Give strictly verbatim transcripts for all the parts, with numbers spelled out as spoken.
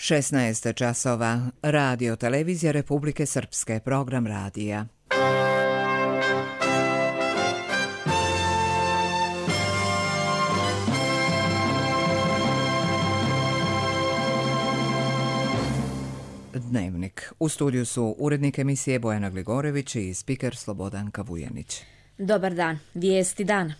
šesnaest časova. Radio televizija Republike Srpske, program radija. Dnevnik. U studiju su urednik emisije Bojana Gligorević i spiker Slobodanka Vujanić. Dobar dan. Vijesti dana.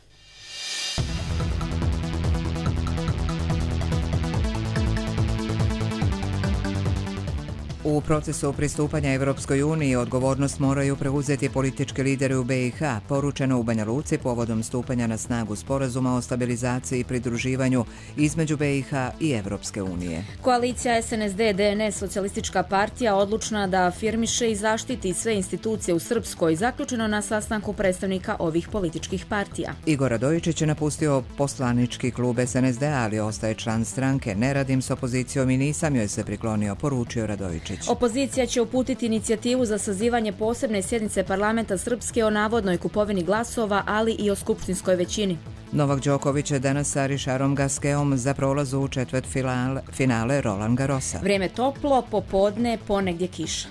U procesu pristupanja Evropskoj uniji odgovornost moraju preuzeti politički lideri u B i H, poručeno u Banja Luci povodom stupanja na snagu sporazuma o stabilizaciji i pridruživanju između B i H i Evropske unije. Koalicija S N S D D N S Socijalistička partija odlučna da afirmiše i zaštiti sve institucije u Srpskoj, zaključeno na sastanku predstavnika ovih političkih partija. Igor Radojičić je napustio poslanički klub S N S D, ali ostaje član stranke. Ne radim s opozicijom i nisam joj se priklonio, poručio Radojičić. Opozicija će uputiti inicijativu za sazivanje posebne sjednice parlamenta Srpske o navodnoj kupovini glasova, ali i o skupštinskoj većini. Novak Đoković je danas sa Richardom Gasqueom za prolaz u četvrt finale, finale Roland Garrosa. Vrijeme toplo, popodne, ponegdje kiša.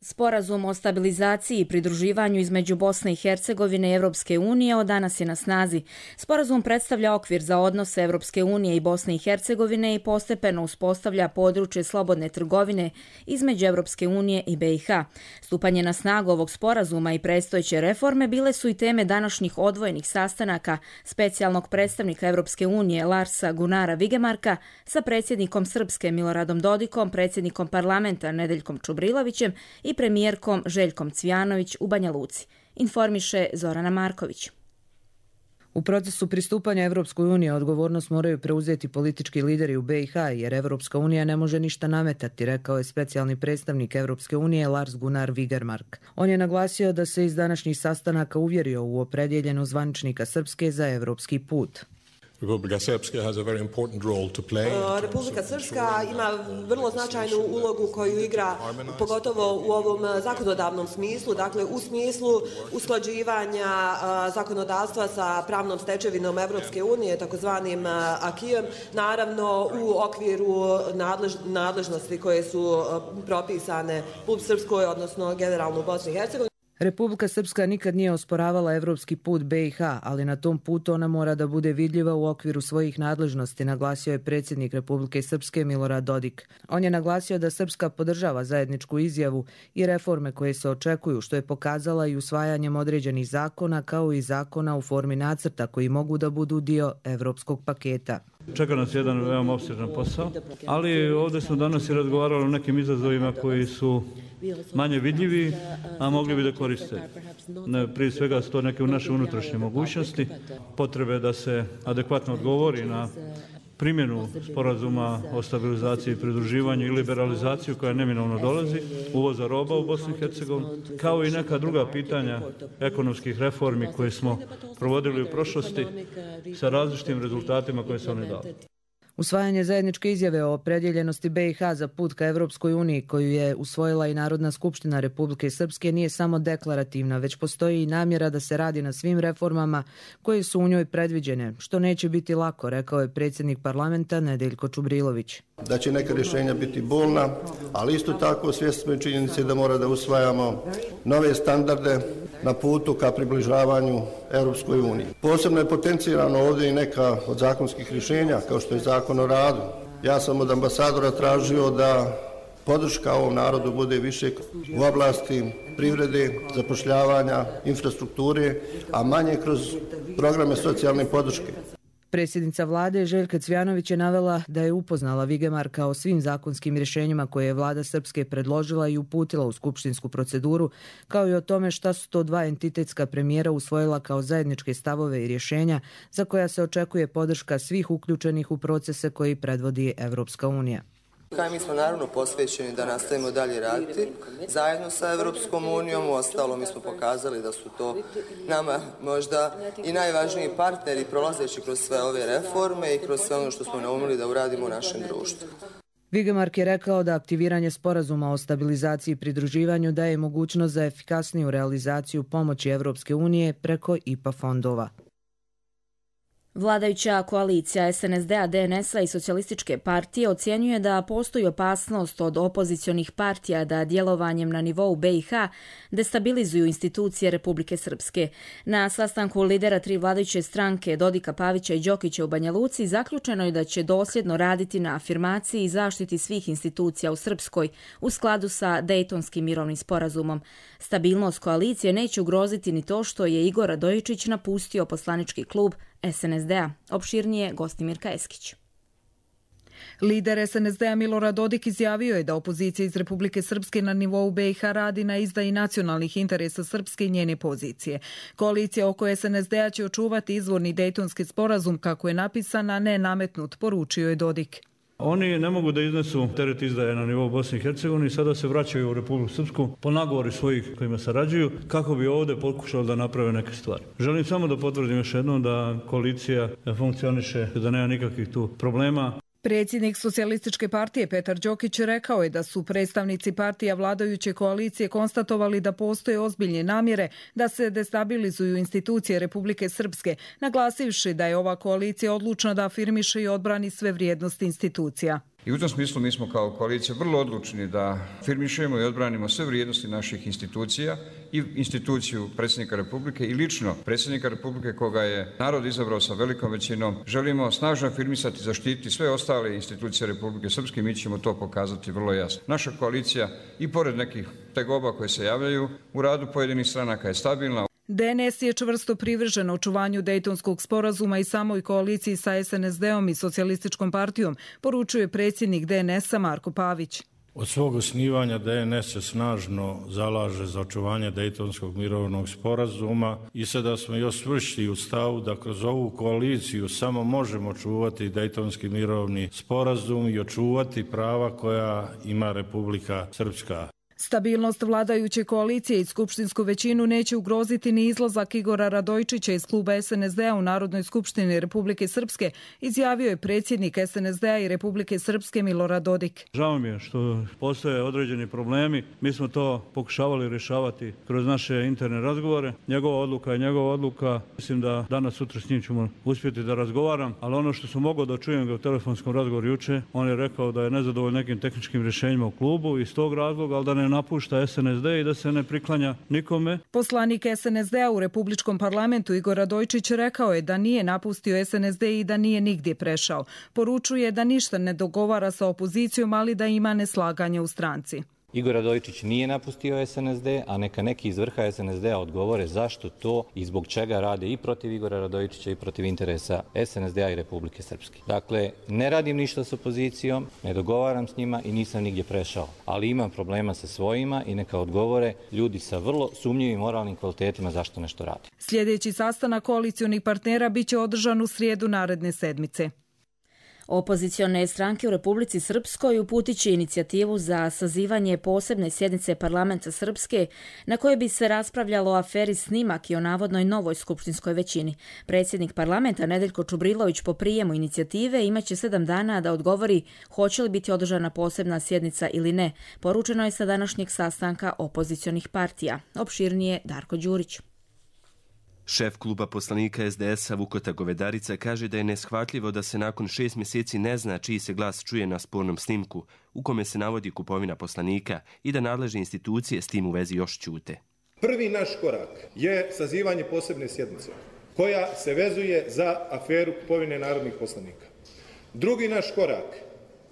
Sporazum o stabilizaciji i pridruživanju između Bosne i Hercegovine i Evropske unije od danas je na snazi. Sporazum predstavlja okvir za odnose Evropske unije i Bosne i Hercegovine i postepeno uspostavlja područje slobodne trgovine između Evropske unije i B i H. Stupanje na snagu ovog sporazuma i predstojeće reforme bile su i teme današnjih odvojenih sastanaka specijalnog predstavnika Evropske unije Larsa Gunara Vigemarka sa predsjednikom Srpske Miloradom Dodikom, predsjednikom parlamenta Nedeljkom Čubrilovićem i premijerkom Željkom Cvijanović u Banja Luci, informiše Zorana Marković. U procesu pristupanja Evropskoj uniji odgovornost moraju preuzeti politički lideri u B i H, jer Evropska unija ne može ništa nametati, rekao je specijalni predstavnik Evropske unije Lars Gunnar Vigemark. On je naglasio da se iz današnjih sastanaka uvjerio u opredjeljenost zvaničnika Srpske za evropski put. Republika Srpska has a very important role to play. Republika Srpska ima vrlo značajnu ulogu koju igra pogotovo u ovom zakonodavnom smislu, dakle u smislu usklađivanja zakonodavstva sa pravnom stečevinom Evropske unije, takozvanim akijem, naravno u okviru nadlež, nadležnosti koje su propisane u Srpskoj, odnosno generalno u Bosni i Hercegovini. Republika Srpska nikad nije osporavala evropski put B i H, ali na tom putu ona mora da bude vidljiva u okviru svojih nadležnosti, naglasio je predsjednik Republike Srpske Milorad Dodik. On je naglasio da Srpska podržava zajedničku izjavu i reforme koje se očekuju, što je pokazala i usvajanjem određenih zakona, kao i zakona u formi nacrta koji mogu da budu dio evropskog paketa. Čeka nas jedan veoma opsežan posao, ali ovdje smo danas i razgovarali o nekim izazovima koji su manje vidljivi, a mogli bi da koriste. Prije svega su to neke naše unutrašnje mogućnosti, potrebe da se adekvatno odgovori na primjenu sporazuma o stabilizaciji i pridruživanju i liberalizaciju koja neminovno dolazi, uvoza roba u Bosnu i Hercegovinu, kao i neka druga pitanja ekonomskih reformi koje smo provodili u prošlosti sa različitim rezultatima koje se one dali. Usvajanje zajedničke izjave o opredjeljenosti B i H za put ka Evropskoj uniji, koju je usvojila i Narodna skupština Republike Srpske, nije samo deklarativna, već postoji i namjera da se radi na svim reformama koje su u njoj predviđene, što neće biti lako, rekao je predsjednik parlamenta Nedeljko Čubrilović. Da će neka rješenja biti bolna, ali isto tako svjesni smo činjenice da mora da usvajamo nove standarde na putu ka približavanju Europskoj uniji. Posebno je potencirano ovdje i neka od zakonskih rješenja, kao što je zakon o radu. Ja sam od ambasadora tražio da podrška ovom narodu bude više u oblasti privrede, zapošljavanja, infrastrukture, a manje kroz programe socijalne podrške. Predsjednica vlade Željka Cvijanović je navela da je upoznala Vigemarka o svim zakonskim rješenjima koje je vlada Srpske predložila i uputila u skupštinsku proceduru, kao i o tome šta su to dva entitetska premijera usvojila kao zajedničke stavove i rješenja za koja se očekuje podrška svih uključenih u procese koji predvodi Evropska unija. Mi smo naravno posvećeni da nastavimo dalje raditi zajedno sa Evropskom unijom, u ostalo mi smo pokazali da su to nama možda i najvažniji partneri prolazeći kroz sve ove reforme i kroz sve ono što smo naumili da uradimo u našem društvu. Vigemark je rekao da aktiviranje sporazuma o stabilizaciji i pridruživanju daje mogućnost za efikasniju realizaciju pomoći Evropske unije preko I P A fondova. Vladajuća koalicija es en es de a, de en es a i Socijalističke partije ocjenjuje da postoji opasnost od opozicionih partija da djelovanjem na nivou be i ha destabilizuju institucije Republike Srpske. Na sastanku lidera tri vladajuće stranke Dodika, Pavića i Đokića u Banja Luci zaključeno je da će dosljedno raditi na afirmaciji i zaštiti svih institucija u Srpskoj u skladu sa Dejtonskim mirovnim sporazumom. Stabilnost koalicije neće ugroziti ni to što je Igor Radojičić napustio poslanički klub es en es de a. Opširnije Gostimirka Eskić. Lider es en es de a Milorad Dodik izjavio je da opozicija iz Republike Srpske na nivou be i ha radi na izdaji nacionalnih interesa Srpske i njene pozicije. Koalicija oko es en es de a će očuvati izvorni Dejtonski sporazum kako je napisan, a ne nametnut, poručio je Dodik. Oni ne mogu da iznesu teret izdaje na nivou Bosne i Hercegovine i sada se vraćaju u Republiku Srpsku po nagovori svojih kojima sarađuju kako bi ovdje pokušali da naprave neke stvari. Želim samo da potvrdim još jednom da koalicija funkcioniše, da nema nikakvih tu problema. Predsjednik Socijalističke partije Petar Đokić rekao je da su predstavnici partija vladajuće koalicije konstatovali da postoje ozbiljne namjere da se destabilizuju institucije Republike Srpske, naglasivši da je ova koalicija odlučna da afirmiše i odbrani sve vrijednosti institucija. I u tom smislu mi smo kao koalicija vrlo odlučni da afirmišemo i odbranimo sve vrijednosti naših institucija i instituciju predsjednika Republike i lično predsjednika Republike koga je narod izabrao sa velikom većinom. Želimo snažno afirmisati i zaštititi sve ostale institucije Republike Srpske i mi ćemo to pokazati vrlo jasno. Naša koalicija i pored nekih tegoba koje se javljaju u radu pojedinih stranaka je stabilna. de en es je čvrsto privržen očuvanju Dejtonskog sporazuma i samoj koaliciji sa es en es de om i Socijalističkom partijom, poručuje predsjednik de en es a Marko Pavić. Od svog osnivanja de en es se snažno zalaže za očuvanje Dejtonskog mirovnog sporazuma i sada smo još čvršći u stavu da kroz ovu koaliciju samo možemo čuvati Dejtonski mirovni sporazum i očuvati prava koja ima Republika Srpska. Stabilnost vladajuće koalicije i skupštinsku većinu neće ugroziti ni izlazak Igora Radojičića iz kluba es en es de a u Narodnoj skupštini Republike Srpske, izjavio je predsjednik es en es de a i Republike Srpske Milorad Dodik. Žao mi je što postoje određeni problemi. Mi smo to pokušavali rješavati kroz naše interne razgovore. Njegova odluka je njegova odluka. Mislim da danas, sutra s njim ćemo uspjeti da razgovaram, ali ono što sam mogao da čujem ga u telefonskom razgovoru juče, on je rekao da je nezadovoljan nekim tehničkim rješenjima u klubu iz tog razloga, ali da ne napušta es en es de i da se ne priklanja nikome. Poslanik es en es de a u Republičkom parlamentu Igor Radojičić rekao je da nije napustio es en es de i da nije nigdje prešao. Poručuje da ništa ne dogovara sa opozicijom, ali da ima neslaganje u stranci. Igor Radojičić nije napustio es en es de, a neka neki iz vrha es en es de a odgovore zašto to i zbog čega rade i protiv Igora Radojičića i protiv interesa es en es de a i Republike Srpske. Dakle, ne radim ništa s opozicijom, ne dogovaram s njima i nisam nigdje prešao, ali imam problema sa svojima i neka odgovore ljudi sa vrlo sumnjivim moralnim kvalitetima zašto nešto rade. Sljedeći sastanak koalicionih partnera biće održan u srijedu naredne sedmice. Opozicione stranke u Republici Srpskoj uputit će inicijativu za sazivanje posebne sjednice parlamenta Srpske na kojoj bi se raspravljalo o aferi Snimak i o navodnoj novoj skupštinskoj većini. Predsjednik parlamenta Nedeljko Čubrilović po prijemu inicijative imaće sedam dana da odgovori hoće li biti održana posebna sjednica ili ne. Poručeno je sa današnjeg sastanka opozicionih partija. Opširnije Darko Đurić. Šef kluba poslanika es de es a Vukota Govedarica kaže da je neshvatljivo da se nakon šest mjeseci ne zna čiji se glas čuje na spornom snimku, u kome se navodi kupovina poslanika i da nadležne institucije s tim u vezi još ćute. Prvi naš korak je sazivanje posebne sjednice koja se vezuje za aferu kupovine narodnih poslanika. Drugi naš korak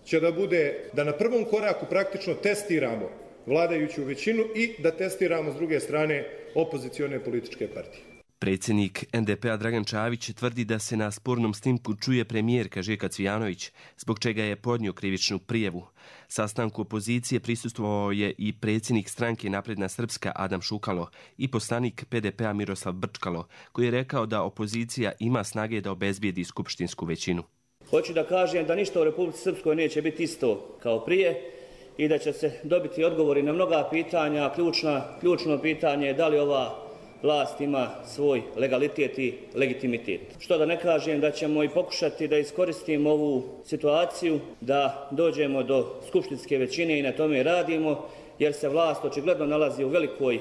će da bude da na prvom koraku praktično testiramo vladajuću većinu i da testiramo s druge strane opozicione političke partije. Predsjednik en de pe a Dragan Čavić tvrdi da se na spornom snimku čuje premijerka Željka Cvijanović, zbog čega je podnio krivičnu prijavu. Sastanku opozicije prisustvovao je i predsjednik stranke Napredna Srpska Adam Šukalo i poslanik pe de pe a Miroslav Brčkalo, koji je rekao da opozicija ima snage da obezbijedi skupštinsku većinu. Hoću da kažem da ništa u Republici Srpskoj neće biti isto kao prije i da će se dobiti odgovori na mnoga pitanja. Ključna, ključno pitanje je da li ova vlast ima svoj legalitet i legitimitet. Što da ne kažem da ćemo i pokušati da iskoristimo ovu situaciju, da dođemo do skupštinske većine i na tome radimo, jer se vlast očigledno nalazi u velikoj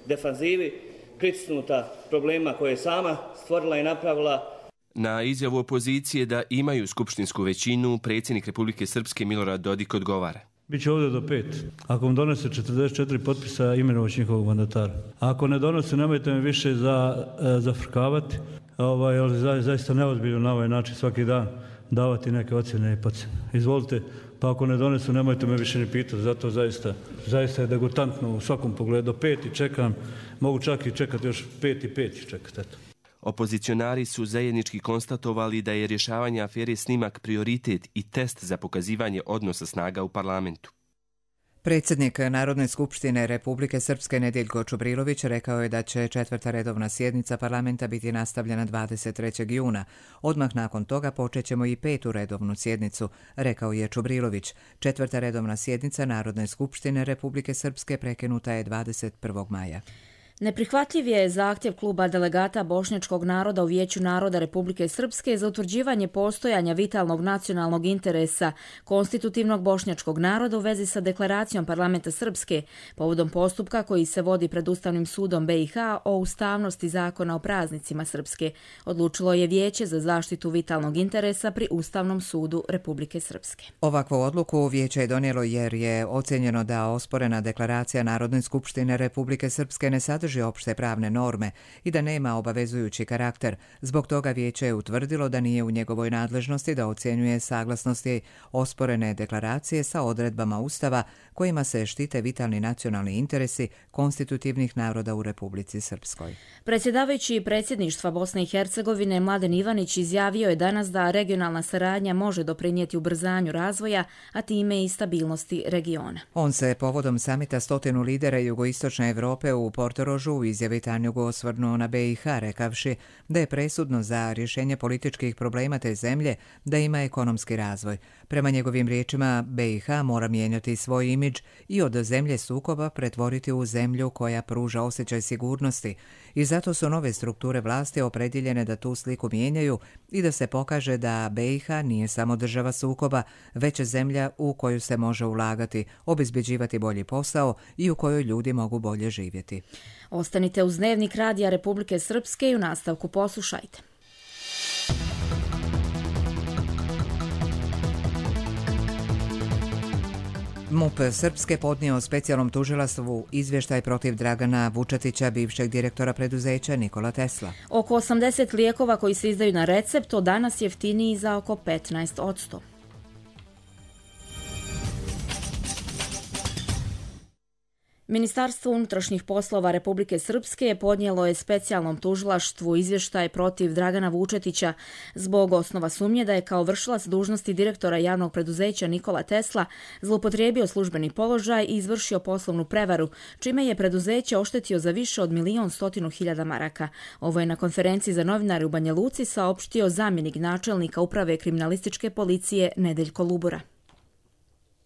defanzivi, pritisnuta problema koje je sama stvorila i napravila. Na izjavu opozicije da imaju skupštinsku većinu, predsjednik Republike Srpske Milorad Dodik odgovara. Biće ovdje do pet. Ako vam donose četrdeset četiri potpisa, imenovaći njihovog mandatara. Ako ne donose, nemojte me više za, zafrkavati, ovaj, ali zaista neozbiljno na ovaj način svaki dan davati neke ocjene i pocjene. Izvolite, pa ako ne donesu, nemojte me više ni pitati. Zato zaista, zaista je degutantno u svakom pogledu. Pet i čekam, mogu čak i čekati još pet i pet i čekati. Eto. Opozicionari su zajednički konstatovali da je rješavanje afere Snimak prioritet i test za pokazivanje odnosa snaga u parlamentu. Predsjednik Narodne skupštine Republike Srpske Nedeljko Čubrilović rekao je da će četvrta redovna sjednica parlamenta biti nastavljena dvadeset trećeg juna. Odmah nakon toga počećemo i petu redovnu sjednicu, rekao je Čubrilović. Četvrta redovna sjednica Narodne skupštine Republike Srpske prekinuta je dvadeset prvog maja. Neprihvatljiv je zahtjev kluba delegata bošnjačkog naroda u Vijeću naroda Republike Srpske za utvrđivanje postojanja vitalnog nacionalnog interesa konstitutivnog bošnjačkog naroda u vezi sa deklaracijom parlamenta Srpske povodom postupka koji se vodi pred Ustavnim sudom B i H o ustavnosti zakona o praznicima Srpske. Odlučilo je Vijeće za zaštitu vitalnog interesa pri Ustavnom sudu Republike Srpske. Ovakvu odluku Vijeće je donijelo jer je ocjenjeno da osporena deklaracija Narodne skupštine Republike Srpske ne sadrži opšte pravne norme i da nema obavezujući karakter. Zbog toga Vijeće je utvrdilo da nije u njegovoj nadležnosti da ocjenjuje saglasnosti osporene deklaracije sa odredbama Ustava kojima se štite vitalni nacionalni interesi konstitutivnih naroda u Republici Srpskoj. Predsjedavajući predsjedništva Bosne i Hercegovine Mladen Ivanić izjavio je danas da regionalna saradnja može doprinijeti ubrzanju razvoja, a time i stabilnosti regiona. On se povodom samita stotinu lidera jugoistočne Evrope u Portorožu u izjavi Tanjugu osvrnuo na B i H, rekavši da je presudno za rješenje političkih problema te zemlje da ima ekonomski razvoj. Prema njegovim riječima, B i H mora mijenjati svoj imidž i od zemlje sukoba pretvoriti u zemlju koja pruža osjećaj sigurnosti i zato su nove strukture vlasti opredjeljene da tu sliku mijenjaju i da se pokaže da B i H nije samo država sukoba, već zemlja u koju se može ulagati, obezbeđivati bolji posao i u kojoj ljudi mogu bolje živjeti. Ostanite uz Dnevnik Radija Republike Srpske i u nastavku poslušajte. M U P Srpske podnio specijalnom tužilaštvu izvještaj protiv Dragana Vučetića, bivšeg direktora preduzeća Nikola Tesla. Oko osamdeset lijekova koji se izdaju na recept od danas jeftiniji za oko petnaest posto. Ministarstvo unutrašnjih poslova Republike Srpske podnijelo je specijalnom tužilaštvu izvještaj protiv Dragana Vučetića zbog osnova sumnje da je kao vršilac dužnosti direktora javnog preduzeća Nikola Tesla zloupotrijebio službeni položaj i izvršio poslovnu prevaru, čime je preduzeće oštetio za više od milion stotinu hiljada maraka. Ovo je na konferenciji za novinare u Banja Luci saopštio zamjenik načelnika uprave kriminalističke policije Nedeljko Lubura.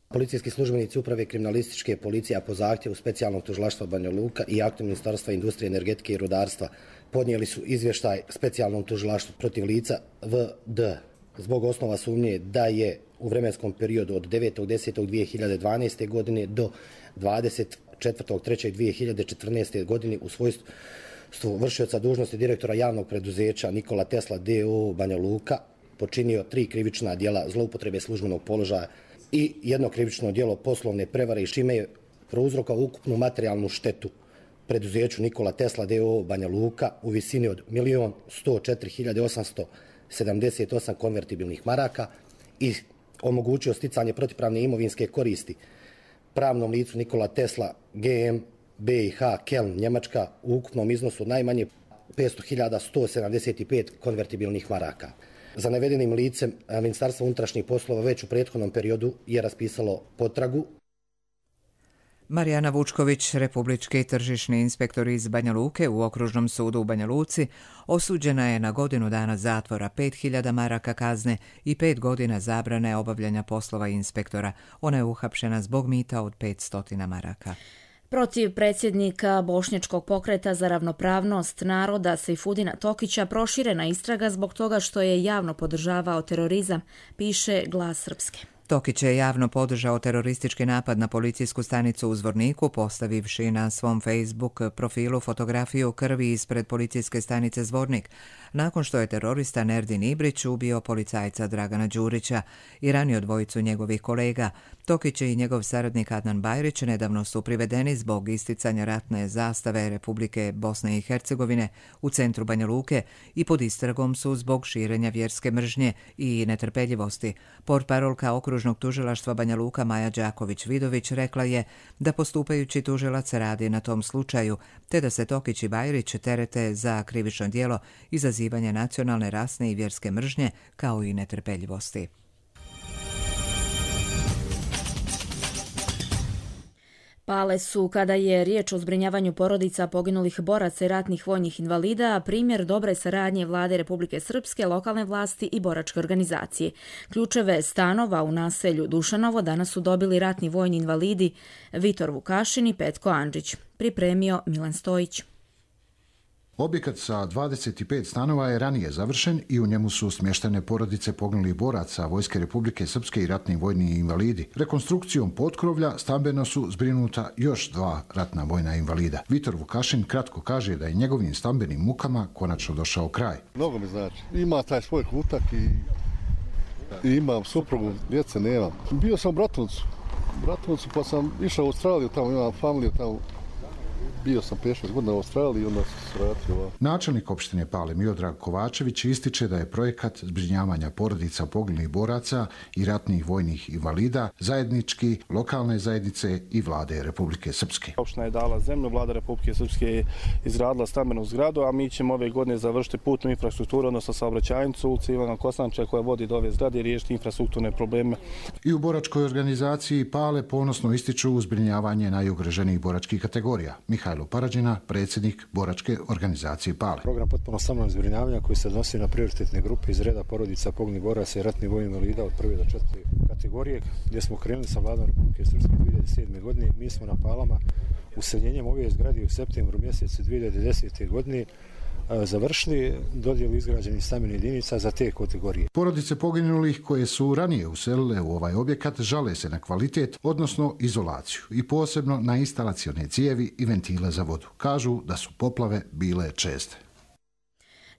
Policijski službenici uprave kriminalističke policije, a po zahtjevu specijalnog tužilaštva Banja Luka i aktom Ministarstva industrije, energetike i rudarstva podnijeli su izvještaj specijalnom tužilaštvu protiv lica V D zbog osnova sumnje da je u vremenskom periodu od devetog desetog dvije hiljade dvanaeste. godine do dvadeset četvrtog trećeg dvije hiljade četrnaeste. godine u svojstvu vršioca dužnosti direktora javnog preduzeća Nikola Tesla D O O Banja Luka počinio tri krivična djela zloupotrebe službenog položaja i jedno krivično djelo poslovne prevare i čime je prouzrokao ukupnu materijalnu štetu preduzeću Nikola Tesla D O O Banja Luka u visini od milion sto četiri hiljade osamsto sedamdeset osam konvertibilnih maraka i omogućio sticanje protivpravne imovinske koristi pravnom licu Nikola Tesla G M B i H Keln Njemačka u ukupnom iznosu najmanje petsto hiljada sto sedamdeset pet konvertibilnih maraka. Za navedenim licem Ministarstvo unutrašnjih poslova već u prethodnom periodu je raspisalo potragu. Marijana Vučković, republički tržišni inspektor iz Banja Luke u Okružnom sudu u Banja Luci, osuđena je na godinu dana zatvora, pet hiljada maraka kazne i pet godina zabrane obavljanja poslova inspektora. Ona je uhapšena zbog mita od petsto maraka. Protiv predsjednika Bošnjačkog pokreta za ravnopravnost naroda Sejfudina Tokića proširena istraga zbog toga što je javno podržavao terorizam, piše Glas Srpske. Tokić je javno podržao teroristički napad na policijsku stanicu u Zvorniku, postavivši na svom Facebook profilu fotografiju krvi ispred policijske stanice Zvornik, nakon što je terorista Nerdin Ibrić ubio policajca Dragana Đurića i ranio dvojicu njegovih kolega. Tokić i njegov saradnik Adnan Bajrić nedavno su privedeni zbog isticanja ratne zastave Republike Bosne i Hercegovine u centru Banja Luke i pod istragom su zbog širenja vjerske mržnje i netrpeljivosti. Portparolka okružnog tužilaštva Banja Luka Maja Đaković-Vidović rekla je da postupajući tužilac radi na tom slučaju, te da se Tokić i Bajrić terete za krivično djelo izazivanje nacionalne, rasne i vjerske mržnje kao i netrpeljivosti. Pale su, kada je riječ o zbrinjavanju porodica poginulih boraca i ratnih vojnih invalida, primjer dobre saradnje vlade Republike Srpske, lokalne vlasti i boračke organizacije. Ključeve stanova u naselju Dušanovo danas su dobili ratni vojni invalidi Vitor Vukašin i Petko Andžić. Pripremio Milan Stojić. Objekat sa dvadeset pet stanova je ranije završen i u njemu su smještene porodice poginulih boraca Vojske Republike Srpske i ratni vojni invalidi. Rekonstrukcijom potkrovlja stambeno su zbrinuta još dva ratna vojna invalida. Vitor Vukašin kratko kaže da je njegovim stambenim mukama konačno došao kraj. Mnogo mi znači. Ima taj svoj kutak i, i imam suprugu, djece nemam. Bio sam u Bratuncu. U Bratuncu pa sam išao u Australiju, tamo imam familiju tamo. Bio sam pet šest godina u Australiji i onda sam se vratio. Načelnik opštine Pale Miodrag Kovačević ističe da je projekat zbrinjavanja porodica poginulih boraca i ratnih vojnih invalida zajednički lokalne zajednice i vlade Republike Srpske. Opština je dala zemlju, vlada Republike Srpske je izgradila stambenu zgradu, a mi ćemo ove godine završiti putnu infrastrukturu, odnosno saobraćajnicu ulicu Ivana Kostanča koja vodi do ove zgrade i riješiti infrastrukturne probleme. I u boračkoj organizaciji Pale ponosno ističu zbrinjavanje najugroženijih boračkih kategorija. Mihajlo Parađina, predsjednik boračke organizacije Pale. Program potpuno stambenog zbrinjavanja koji se odnosi na prioritetne grupe iz reda porodica poginulih boraca i ratnih vojnih invalida od prve do četvrte kategorije, gdje smo krenuli sa vladom Republike Srpske dvije hiljade sedme. godine. Mi smo na Palama useljenjem ove zgrade u septembru mjesecu dvije hiljade desete. godine završili dodjelu izgrađenih stambenih jedinica za te kategorije. Porodice poginulih koje su ranije uselile u ovaj objekat žale se na kvalitet, odnosno izolaciju i posebno na instalacione cijevi i ventile za vodu. Kažu da su poplave bile česte.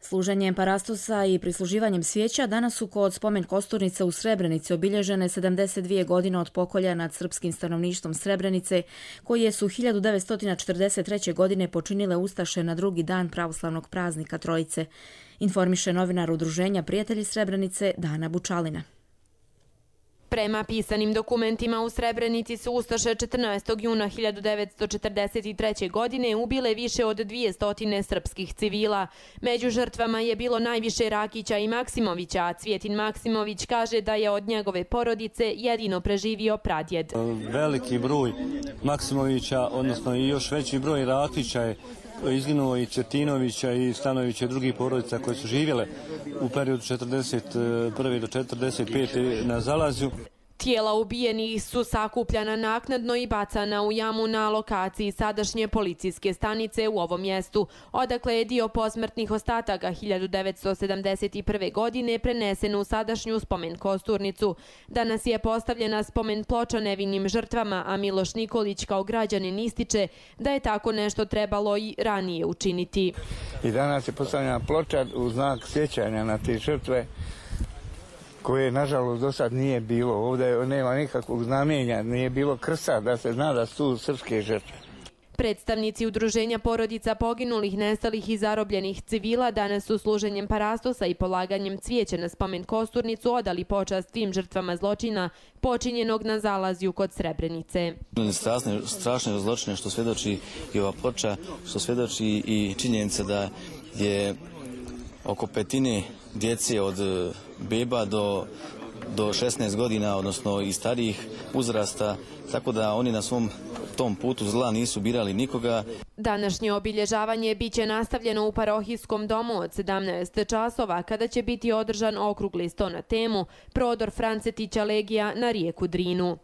Služenjem parastosa i prisluživanjem svijeća danas su kod spomen kosturnice u Srebrenici obilježene sedamdeset dvije godine od pokolja nad srpskim stanovništvom Srebrenice, koje su hiljadu devetsto četrdeset treće. godine počinile ustaše na drugi dan pravoslavnog praznika Trojice. Informiše novinar udruženja Prijatelji Srebrenice Dana Bučalina. Prema pisanim dokumentima u Srebrenici su ustaše četrnaestog juna hiljadu devetsto četrdeset treće. godine ubile više od dvjesto srpskih civila. Među žrtvama je bilo najviše Rakića i Maksimovića, a Cvjetin Maksimović kaže da je od njegove porodice jedino preživio pradjed. Veliki broj Maksimovića, odnosno i još veći broj Rakića je izginuo i Cvjetinovića i Stanovića i drugih porodica koje su živjele u periodu četrdeset prve do četrdeset pete na Zalazju. Tijela ubijenih su sakupljana naknadno i bacana u jamu na lokaciji sadašnje policijske stanice u ovom mjestu, odakle je dio posmrtnih ostataka hiljadu devetsto sedamdeset prve. godine prenesen u sadašnju spomen kosturnicu. Danas je postavljena spomen ploča nevinim žrtvama, a Miloš Nikolić kao građanin ističe da je tako nešto trebalo i ranije učiniti. I danas je postavljena ploča u znak sjećanja na te žrtve, koje nažalost do sad nije bilo. Ovdje nema nikakvog znamenja, nije bilo krsta da se zna da su tu srpske žrtve. Predstavnici udruženja porodica poginulih, nestalih i zarobljenih civila danas su služenjem parastosa i polaganjem cvijeća na spomen kosturnicu odali počast svim žrtvama zločina počinjenog na Zalazju kod Srebrenice. Strašne, strašne zločine što svjedoči i ova ploča, što svjedoči i činjenica da je oko petine djece od beba do, do šesnaest godina, odnosno i starijih uzrasta, tako da oni na svom tom putu zla nisu birali nikoga. Današnje obilježavanje biće nastavljeno u parohijskom domu od sedamnaest časova, kada će biti održan okrugli sto na temu Prodor Francetića Legija na rijeku Drinu.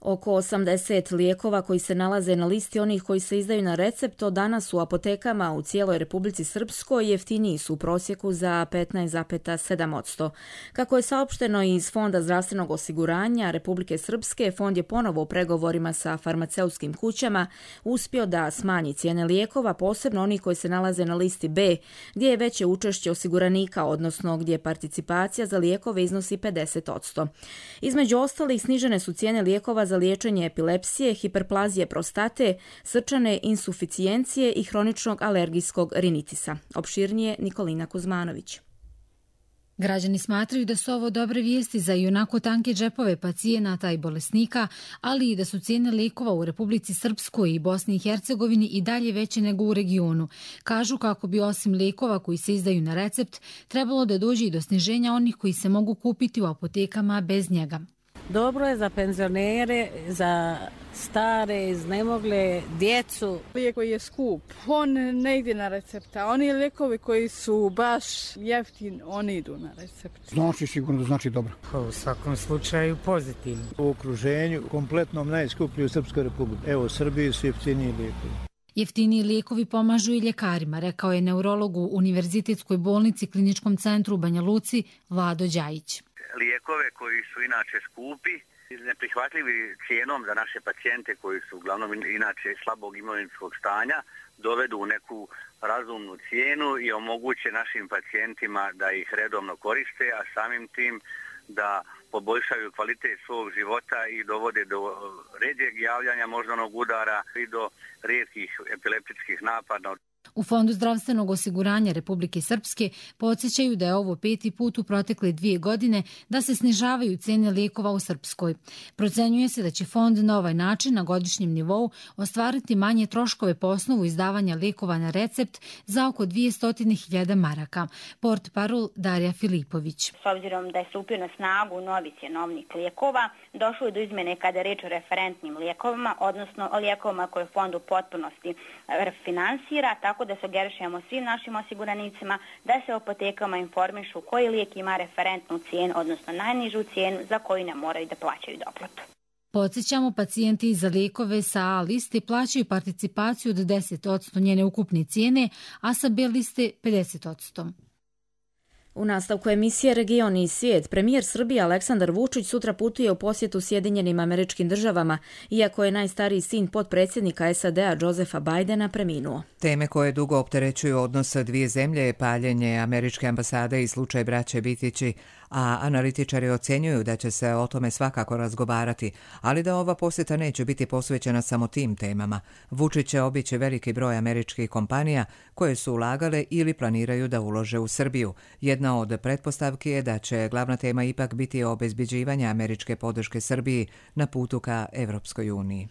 Oko osamdeset lijekova koji se nalaze na listi onih koji se izdaju na recept od danas u apotekama u cijeloj Republici Srpskoj jeftiniji su u prosjeku za petnaest zarez sedam posto. Kako je saopšteno iz Fonda zdravstvenog osiguranja Republike Srpske, fond je ponovo u pregovorima sa farmaceutskim kućama uspio da smanji cijene lijekova, posebno onih koji se nalaze na listi B, gdje je veće učešće osiguranika, odnosno gdje participacija za lijekove iznosi pedeset posto. Između ostalih snižene su cijene lijekova za liječenje epilepsije, hiperplazije prostate, srčane insuficijencije i hroničnog alergijskog rinitisa. Opširnije Nikolina Kuzmanović. Građani smatraju da su ovo dobre vijesti za ionako tanke džepove pacijenata i bolesnika, ali i da su cijene lijekova u Republici Srpskoj i Bosni i Hercegovini i dalje veće nego u regionu. Kažu kako bi osim lijekova koji se izdaju na recept, trebalo da dođe i do sniženja onih koji se mogu kupiti u apotekama bez njega. Dobro je za penzionere, za stare, iznemogle, djecu. Lijek koji je skup, on ne ide na recepta. Oni lijekovi koji su baš jeftini, oni idu na recept. Znači sigurno da znači dobro. U svakom slučaju pozitivno. U okruženju kompletnom najskuplji u Srpskoj republiki. Evo, u Srbiji su jeftiniji lijekovi. Jeftiniji lijekovi pomažu i ljekarima, rekao je neurolog u Univerzitetskoj bolnici Kliničkom centru u Banja Luci Vlado Đajić. Lijekove koji su inače skupi, neprihvatljivi cijenom za naše pacijente koji su uglavnom inače slabog imovinskog stanja, dovedu u neku razumnu cijenu i omoguće našim pacijentima da ih redovno koriste, a samim tim da poboljšaju kvalitet svog života i dovode do ređeg javljanja moždanog udara i do rijetkih epileptičkih napada. U Fondu zdravstvenog osiguranja Republike Srpske podsjećaju da je ovo peti put u protekle dvije godine da se snižavaju cijene lijekova u Srpskoj. Procenjuje se da će fond na ovaj način na godišnjem nivou ostvariti manje troškove po osnovu izdavanja lijekova na recept za oko dvjesto hiljada maraka. Portparol Darija Filipović. S obzirom da je stupio na snagu novi cjenovnik lijekova, došlo je do izmjene kada je reč o referentnim lijekovima, odnosno o lijekovima koje fond u potpunosti finansira, tako da sugerišemo svim našim osiguranicima da se u apotekama informišu koji lijek ima referentnu cijenu, odnosno najnižu cijenu za koju ne moraju da plaćaju doplatu. Podsjećamo, pacijenti za lijekove sa A liste plaćaju participaciju od deset posto njene ukupne cijene, a sa B liste pedeset posto. U nastavku emisije Region i svijet, premijer Srbije Aleksandar Vučić sutra putuje u posjetu Sjedinjenim Američkim Državama, iako je najstariji sin potpredsjednika S A D-a Josefa Bidena preminuo. Teme koje dugo opterećuju odnos dvije zemlje je paljenje američke ambasade i slučaj braće Bitići, a analitičari ocjenjuju da će se o tome svakako razgovarati, ali da ova posjeta neće biti posvećena samo tim temama. Vučić će obići veliki broj američkih kompanija koje su ulagale ili planiraju da ulože u Srbiju. Jedna od pretpostavki je da će glavna tema ipak biti obezbeđivanje američke podrške Srbiji na putu ka Evropskoj uniji.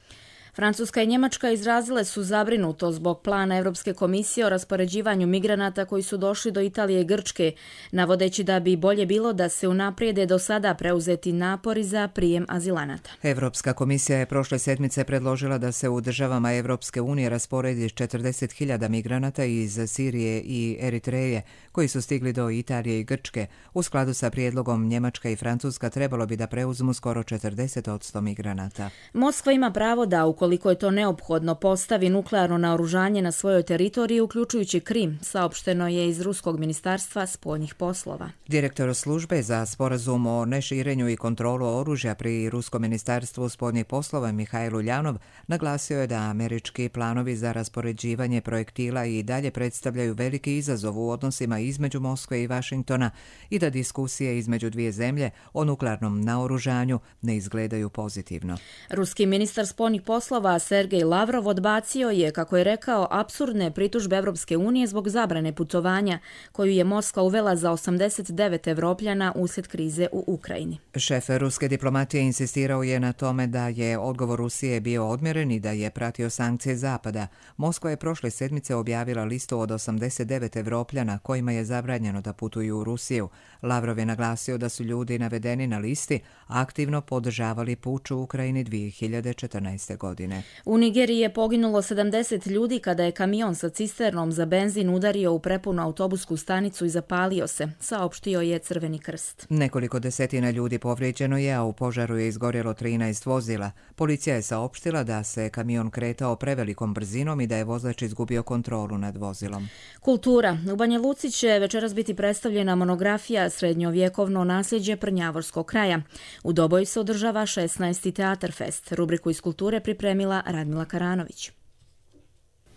Francuska i Njemačka izrazile su zabrinuto zbog plana Europske komisije o raspoređivanju migranata koji su došli do Italije i Grčke, navodeći da bi bolje bilo da se unaprijede do sada preuzeti napori za prijem azilanata. Europska komisija je prošle sedmice predložila da se u državama Evropske unije rasporedi četrdeset hiljada migranata iz Sirije i Eritreje koji su stigli do Italije i Grčke. U skladu sa prijedlogom Njemačka i Francuska trebalo bi da preuzmu skoro četrdeset posto migranata. Moskva ima pravo da, ukoliko je to neophodno, postavi nuklearno naoružanje na svojoj teritoriji, uključujući Krim, saopšteno je iz Ruskog ministarstva spoljnih poslova. Direktor službe za sporazum o neširenju i kontrolu oružja pri Ruskom ministarstvu spoljnih poslova Mihajl Uljanov naglasio je da američki planovi za raspoređivanje projektila i dalje predstavljaju veliki izazov u odnosima između Moskve i Vašingtona i da diskusije između dvije zemlje o nuklearnom naoružanju ne izgledaju pozitivno. Ruski ministar spoljnih poslova Sergej Lavrov odbacio je, kako je rekao, apsurdne pritužbe Evropske unije zbog zabrane putovanja koju je Moskva uvela za osamdeset devet Evropljana uslijed krize u Ukrajini. Šef ruske diplomatije insistirao je na tome da je odgovor Rusije bio odmjeren i da je pratio sankcije Zapada. Moskva je prošle sedmice objavila listu od osamdeset devet Evropljana kojima je zabranjeno da putuju u Rusiju. Lavrov je naglasio da su ljudi navedeni na listi aktivno podržavali puč u Ukrajini dvije hiljade četrnaeste. godine. godine. U Nigeriji je poginulo sedamdeset ljudi kada je kamion sa cisternom za benzin udario u prepunu autobusku stanicu i zapalio se, saopštio je Crveni krst. Nekoliko desetina ljudi povrijeđeno je, a u požaru je izgorjelo trinaest vozila. Policija je saopštila da se kamion kretao prevelikom brzinom i da je vozač izgubio kontrolu nad vozilom. Kultura. U Banja Luci će večeras biti predstavljena monografija Srednjovjekovno nasljeđe Prnjavorskog kraja. U Doboju se održava šesnaesti Teatar Fest. Rubriku iz kulture pripremila Radmila Karanović.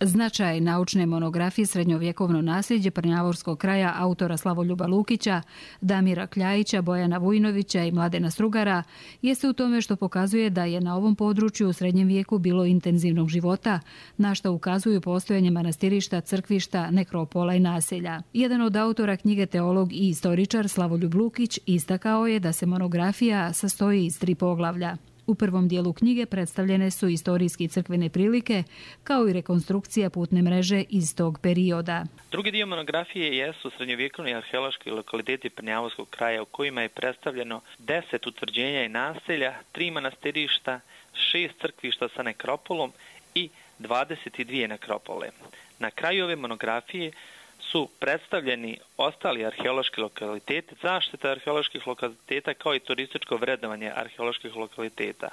Značaj naučne monografije Srednjovjekovno nasljeđe Prnjavorskog kraja autora Slavoljuba Lukića, Damira Kljajića, Bojana Vujnovića i Mladena Strugara jeste u tome što pokazuje da je na ovom području u srednjem vijeku bilo intenzivnog života, na što ukazuju postojanje manastirišta, crkvišta, nekropola i naselja. Jedan od autora knjige teolog i istoričar Slavoljub Lukić istakao je da se monografija sastoji iz tri poglavlja. U prvom dijelu knjige predstavljene su istorijski crkvene prilike, kao i rekonstrukcija putne mreže iz tog perioda. Drugi dio monografije jesu srednjovjekovni arheološki lokaliteti Prnjavorskog kraja, u kojima je predstavljeno deset utvrđenja i naselja, tri manastirišta, šest crkvišta sa nekropolom i dvadeset dvije nekropole. Na kraju ove monografije su predstavljeni ostali arheološki lokaliteti, zaštita arheoloških lokaliteta kao i turističko vrednovanje arheoloških lokaliteta.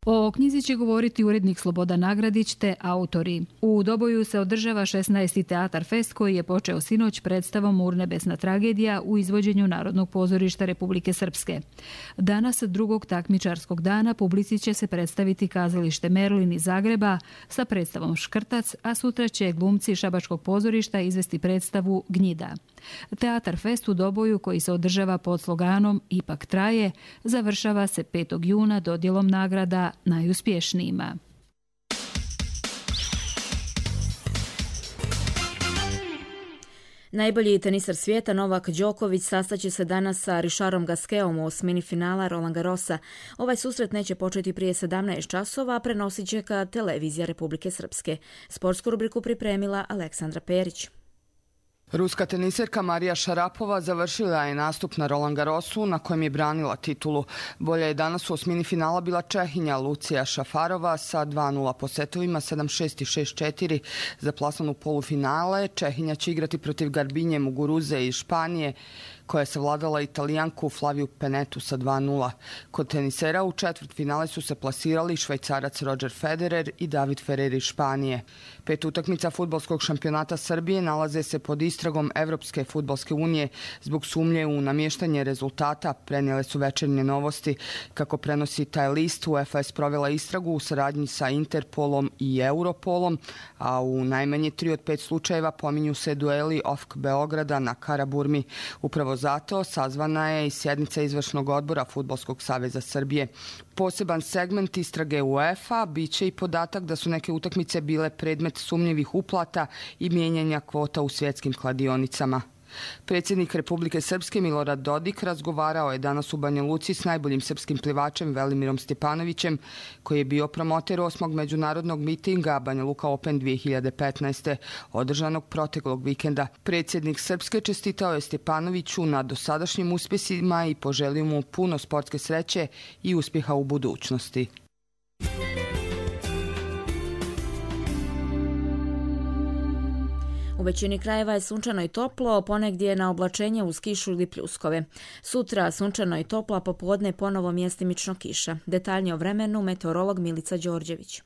O knjizi će govoriti urednik Slobodan Nagradić te autori. U Doboju se održava šesnaesti Teatar Fest koji je počeo sinoć predstavom Urnebesna tragedija u izvođenju Narodnog pozorišta Republike Srpske. Danas, drugog takmičarskog dana, publici će se predstaviti kazalište Merlin iz Zagreba sa predstavom Škrtac, a sutra će glumci Šabačkog pozorišta izvesti predstavu Gnjida. Teatar Fest u Doboju, koji se održava pod sloganom Ipak traje, završava se petog juna dodjelom nagrada najuspješnijima. Najbolji tenisar svijeta Novak Đoković sastaće se danas sa Richardom Gasqueom u osmini finala Roland Garrosa. Ovaj susret neće početi prije sedamnaest časova, a prenosit će ga televizija Republike Srpske. Sportsku rubriku pripremila Aleksandra Perić. Ruska teniserka Marija Šarapova završila je nastup na Roland Garrosu na kojem je branila titulu. Bolja je danas u osmini finala bila Čehinja Lucija Šafarova sa dva nula po setovima sedam šest i šest četiri za plasman u polufinale. Čehinja će igrati protiv Garbinje Muguruze iz Španije, koja je savladala Italijanku Flaviju Penetu sa dva nula. Kod tenisera u četvrtfinale su se plasirali Švajcarac Roger Federer i David Ferrer iz Španije. Pet utakmica fudbalskog šampionata Srbije nalaze se pod istragom Evropske fudbalske unije zbog sumnje u namještanje rezultata, prenijele su Večernje novosti. Kako prenosi taj list, UEFA je sprovela istragu u saradnji sa Interpolom i Europolom, a u najmanje tri od pet slučajeva pominju se dueli O F K Beograda na Karaburmi. Upravo zato sazvana je i sjednica izvršnog odbora Fudbalskog saveza Srbije. Poseban segment istrage UEFA biće i podatak da su neke utakmice bile predmet sumnjivih uplata i mijenjanja kvota u svjetskim kladionicama. Predsjednik Republike Srpske Milorad Dodik razgovarao je danas u Banja Luci s najboljim srpskim plivačem Velimirom Stjepanovićem, koji je bio promoter osmog međunarodnog mitinga Banja Luka Open dvije hiljade petnaeste. održanog proteklog vikenda. Predsjednik Srpske čestitao je Stjepanoviću na dosadašnjim uspjesima i poželio mu puno sportske sreće i uspjeha u budućnosti. U većini krajeva je sunčano i toplo, ponegdje na oblačenje uz kišu ili pljuskove. Sutra sunčano i toplo, a popodne ponovo mjestimično kiša. Detaljnije o vremenu meteorolog Milica Đorđević.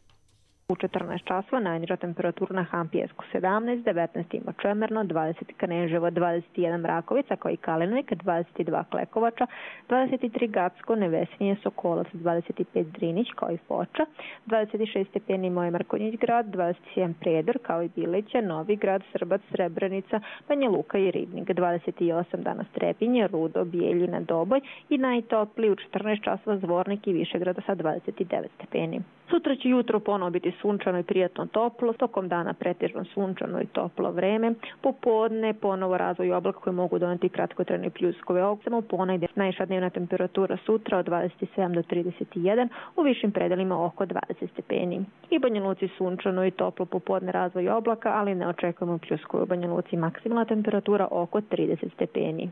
U četrnaest časova najniža temperatura na Hampijesku sedamnaest, devetnaest ima Čemerno, dvadeset Kneževo, dvadeset jedan Rakovica kao i Kalinovik, dvadeset dva Klekovača, dvadeset tri Gacko, Nevesinje, Sokolac, dvadeset pet Drinić kao i Foča, dvadeset šest stepeni Moje Markonjić grad, dvadeset sedam Prijedor kao i Bilića, Novi grad, Srbac, Srebrenica, Banja Luka i Ribnik, dvadeset osam danas Trepinje, Rudo, Bijeljina, Doboj i najtopliji u četrnaest časova Zvornik i Višegrada sa dvadeset devet stepeni. Sutra će jutro ponovo biti sunčano i prijatno toplo, tokom dana pretežno sunčano i toplo vreme, popodne ponovo razvoj oblaka koji mogu doneti kratkotrajne pljuskove. Samo ponegdje najviša dnevna temperatura sutra od dvadeset sedam do trideset jedan, u višim predelima oko dvadeset stepeni. I Banja Luci sunčano i toplo, popodne razvoj oblaka, ali ne očekujemo pljuskove. U Banja Luci maksimalna temperatura oko trideset stepeni.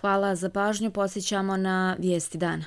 Hvala za pažnju, posjećamo na vijesti dana.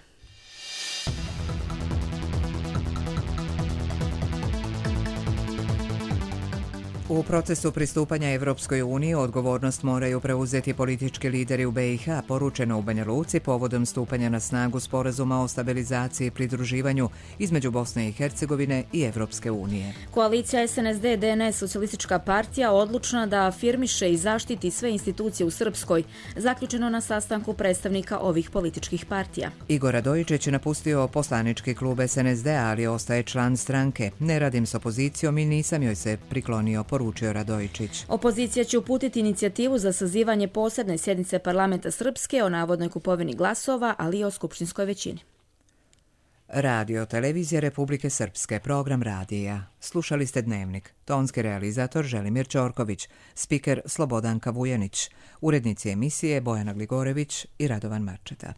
U procesu pristupanja Evropskoj uniji odgovornost moraju preuzeti politički lideri u B i H, poručeno u Banja Luci povodom stupanja na snagu sporazuma o stabilizaciji i pridruživanju između Bosne i Hercegovine i Evropske unije. Koalicija S N S D D N S Socijalistička partija odlučna da afirmiše i zaštiti sve institucije u Srpskoj, zaključeno na sastanku predstavnika ovih političkih partija. Igor Radojičić je napustio poslanički klub S N S D, ali ostaje član stranke. Ne radim s opozicijom i nisam joj se priklonio, poručio Radojičić. Opozicija će uputiti inicijativu za sazivanje posebne sjednice parlamenta Srpske o navodnoj kupovini glasova, ali i o skupštinskoj većini. Radio Televizija Republike Srpske, program radija. Slušali ste Dnevnik. Tonski realizator Želimir Ćorković, spiker Slobodanka Vujanić, urednici emisije Bojana Gligorević i Radovan Marčeta.